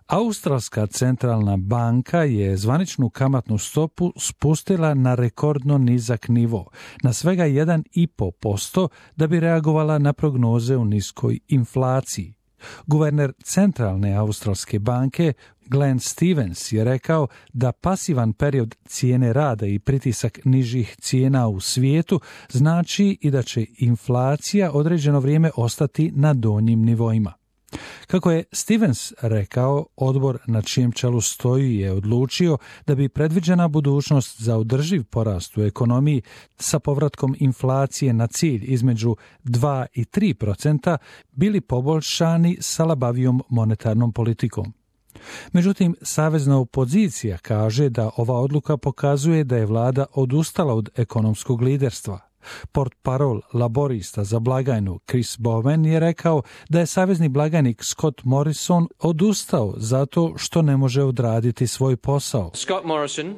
Australska centralna banka je zvaničnu kamatnu stopu spustila na rekordno nizak nivo, na svega 1,5% da bi reagovala na prognoze u niskoj inflaciji. Guverner centralne australske banke Glenn Stevens je rekao da pasivan period cijene rada i pritisak nižih cijena u svijetu znači i da će inflacija određeno vrijeme ostati na donjim nivoima. Kako je Stevens rekao, odbor na čijem čelu stoji je odlučio da bi predviđena budućnost za održiv porast u ekonomiji sa povratkom inflacije na cilj između 2 i 3% bili poboljšani sa labavijom monetarnom politikom. Međutim, savezna opozicija kaže da ova odluka pokazuje da je vlada odustala od ekonomskog liderstva. Portparol laborista za blagajnu Chris Bowen je rekao da je savezni blagajnik Scott Morrison odustao zato što ne može odraditi svoj posao. Scott Morrison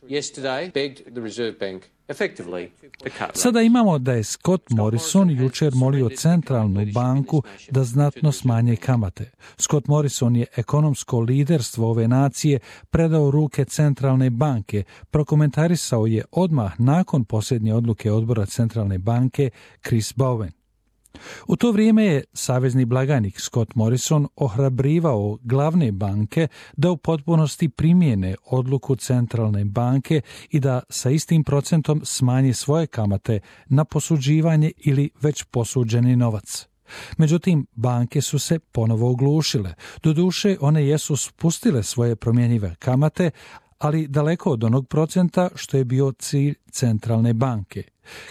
yesterday begged the Reserve Bank effectively to cut rates. Sada imamo da je Scott Morrison jučer molio centralnu banku da znatno smanje kamate. Scott Morrison je ekonomsko liderstvo ove nacije predao u ruke centralne banke, prokomentarisao je odmah nakon posljednje odluke odbora centralne banke Chris Bowen. U to vrijeme je savezni blagajnik Scott Morrison ohrabrivao glavne banke da u potpunosti primijene odluku centralne banke i da sa istim procentom smanje svoje kamate na posuđivanje ili već posuđeni novac. Međutim, banke su se ponovo oglušile. Doduše, one jesu spustile svoje promjenjive kamate, ali daleko od onog procenta što je bio cilj centralne banke.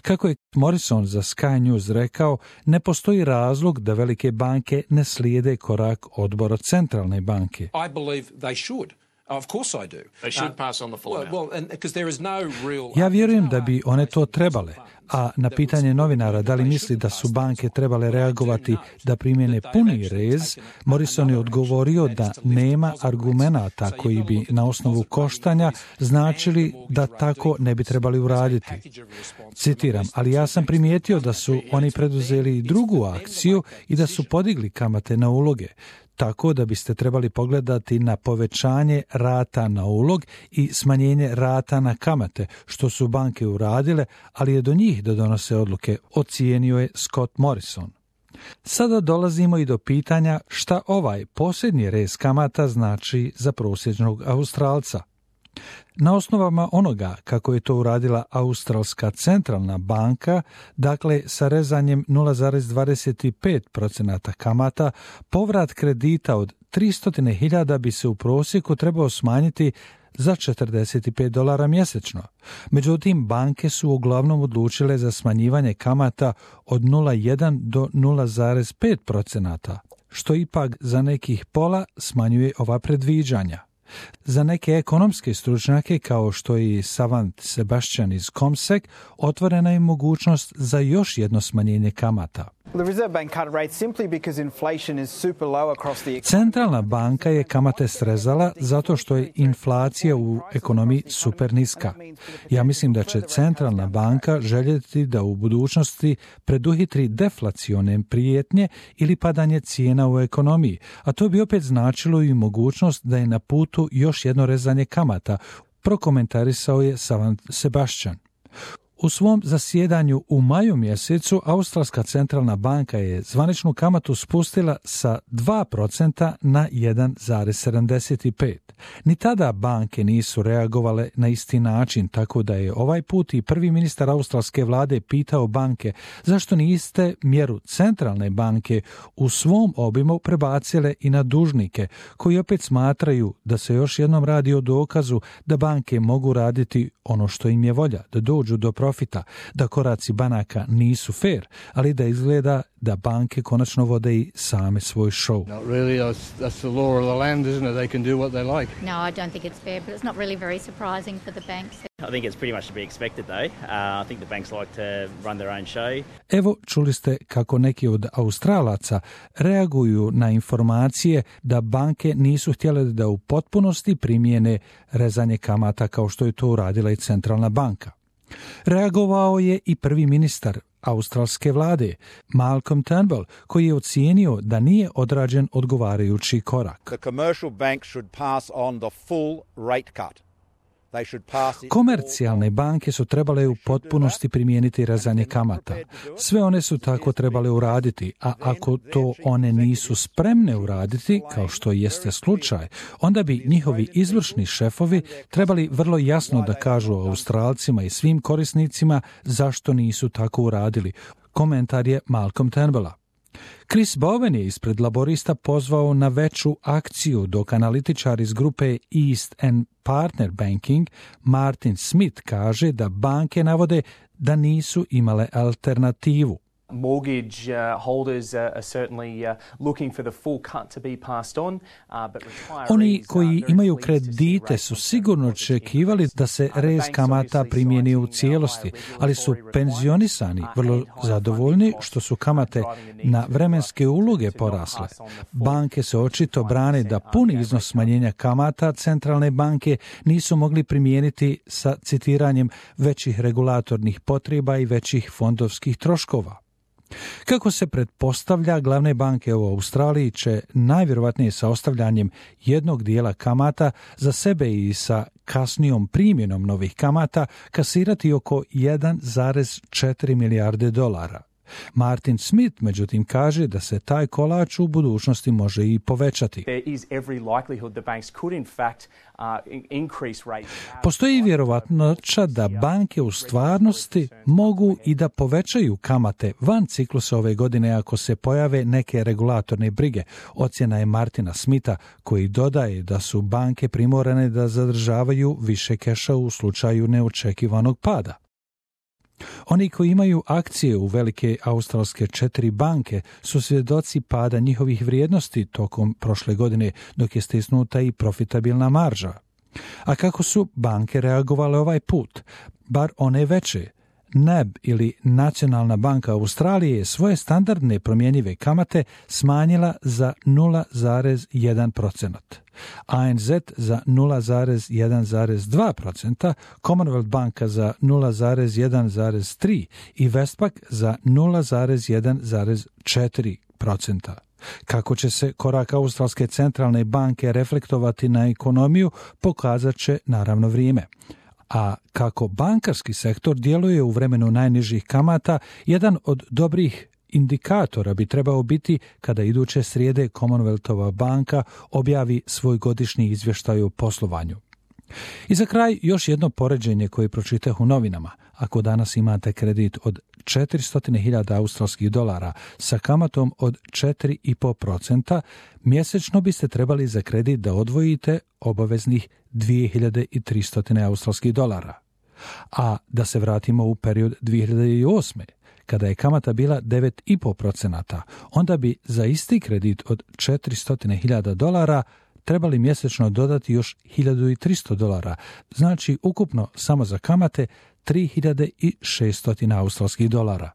Kako je Morrison za Sky News rekao, ne postoji razlog da velike banke ne slijede korak odbora centralne banke. I believe they should. Of course I do. They should pass on the full amount. Because there is no real... Ja vjerujem da bi one to trebale, a na pitanje novinara da li misli da su banke trebale reagovati da primjene puni rez, Morrison je odgovorio da nema argumenata koji bi na osnovu koštanja značili da tako ne bi trebali uraditi. Citiram, ali ja sam primijetio da su oni preduzeli drugu akciju i da su podigli kamate na uloge. Tako da biste trebali pogledati na povećanje rata na ulog i smanjenje rata na kamate, što su banke uradile, ali je do njih da donose odluke, ocijenio je Scott Morrison. Sada dolazimo i do pitanja šta ovaj posljednji rez kamata znači za prosječnog Australca. Na osnovama onoga kako je to uradila Australska centralna banka, dakle sa rezanjem 0,25% kamata, povrat kredita od 300.000 bi se u prosjeku trebao smanjiti za $45 mjesečno. Međutim, banke su uglavnom odlučile za smanjivanje kamata od 0,1 do 0,5%, što ipak za nekih pola smanjuje ova predviđanja. Za neke ekonomske stručnjake, kao što je Savant Sebastian iz CommSec, otvorena je mogućnost za još jedno smanjenje kamata. Centralna banka je kamate srezala zato što je inflacija u ekonomiji super niska. Ja mislim da će centralna banka željeti da u budućnosti preduhitri deflacione prijetnje ili padanje cijena u ekonomiji, a to bi opet značilo i mogućnost da je na putu još jedno rezanje kamata, prokomentarisao je Savant Sebastian. U svom zasjedanju u maju mjesecu Australska centralna banka je zvaničnu kamatu spustila sa 2% na 1,75%. Ni tada banke nisu reagovale na isti način, tako da je ovaj put i prvi ministar australske vlade pitao banke zašto niste mjeru centralne banke u svom obimu prebacile i na dužnike, koji opet smatraju da se još jednom radi o dokazu da banke mogu raditi ono što im je volja, da dođu do profita, da koraci banaka nisu fair, ali da izgleda da banke konačno vode i same svoj show. Not really, that's the law of the land, isn't it? They can do what they like. No, I don't think it's fair, but it's not really very surprising for the banks. I think it's pretty much to be expected though. I think the banks like to run their own show. Evo, čuli ste kako neki od Australaca reaguju na informacije da banke nisu htjele da u potpunosti primijene rezanje kamata kao što je to uradila i centralna banka. Reagovao je i prvi ministar australske vlade, Malcolm Turnbull, koji je ocijenio da nije odrađen odgovarajući korak. The commercial banks should pass on the full rate cut. Komercijalne banke su trebale u potpunosti primijeniti rezanje kamata. Sve one su tako trebale uraditi, a ako to one nisu spremne uraditi, kao što jeste slučaj, onda bi njihovi izvršni šefovi trebali vrlo jasno da kažu Australcima i svim korisnicima zašto nisu tako uradili. Komentar je Malcolm Turnbulla. Chris Bowen je ispred laborista pozvao na veću akciju, dok analitičar iz grupe East and Partner Banking Martin Smith kaže da banke navode da nisu imale alternativu. Mortgage holders are certainly looking for the full cut to be passed on, but retirees... Oni koji imaju kredite su sigurno očekivali da se rez kamata primijeni u cijelosti, ali su penzionisani vrlo zadovoljni što su kamate na vremenske uloge porasle. Banke se očito brane da puni iznos smanjenja kamata centralne banke nisu mogli primijeniti sa citiranjem većih regulatornih potreba i većih fondovskih troškova. Kako se pretpostavlja, glavne banke u Australiji će najvjerojatnije sa ostavljanjem jednog dijela kamata za sebe i sa kasnijom primjenom novih kamata kasirati oko 1,4 milijarde dolara. Martin Smith, međutim, kaže da se taj kolač u budućnosti može i povećati. Postoji vjerovatnoća da banke u stvarnosti mogu i da povećaju kamate van ciklusa ove godine ako se pojave neke regulatorne brige. Ocjena je Martina Smitha, koji dodaje da su banke primorane da zadržavaju više keša u slučaju neočekivanog pada. Oni koji imaju akcije u velike australske 4 banke su svjedoci pada njihovih vrijednosti tokom prošle godine, dok je stisnuta i profitabilna marža. A kako su banke reagovale ovaj put? Bar one veće. NAB ili Nacionalna banka Australije je svoje standardne promjenjive kamate smanjila za 0,1%. ANZ za 0,1,2%, Commonwealth banka za 0,1,3% i Westpac za 0,1,4%. Kako će se korak Australske centralne banke reflektovati na ekonomiju, pokazat će naravno vrijeme. A kako bankarski sektor djeluje u vremenu najnižih kamata, jedan od dobrih indikatora bi trebao biti kada iduće srijede Commonwealthova banka objavi svoj godišnji izvještaj o poslovanju. I za kraj još jedno poređenje koje pročitah u novinama. Ako danas imate kredit od 400.000 australskih dolara sa kamatom od 4,5%, mjesečno biste trebali za kredit da odvojite obaveznih 2.300 australskih dolara. A da se vratimo u period 2008. kada je kamata bila 9,5%, onda bi za isti kredit od 400.000 dolara trebali mjesečno dodati još 1.300 dolara, znači ukupno samo za kamate 3.600 australskih dolara.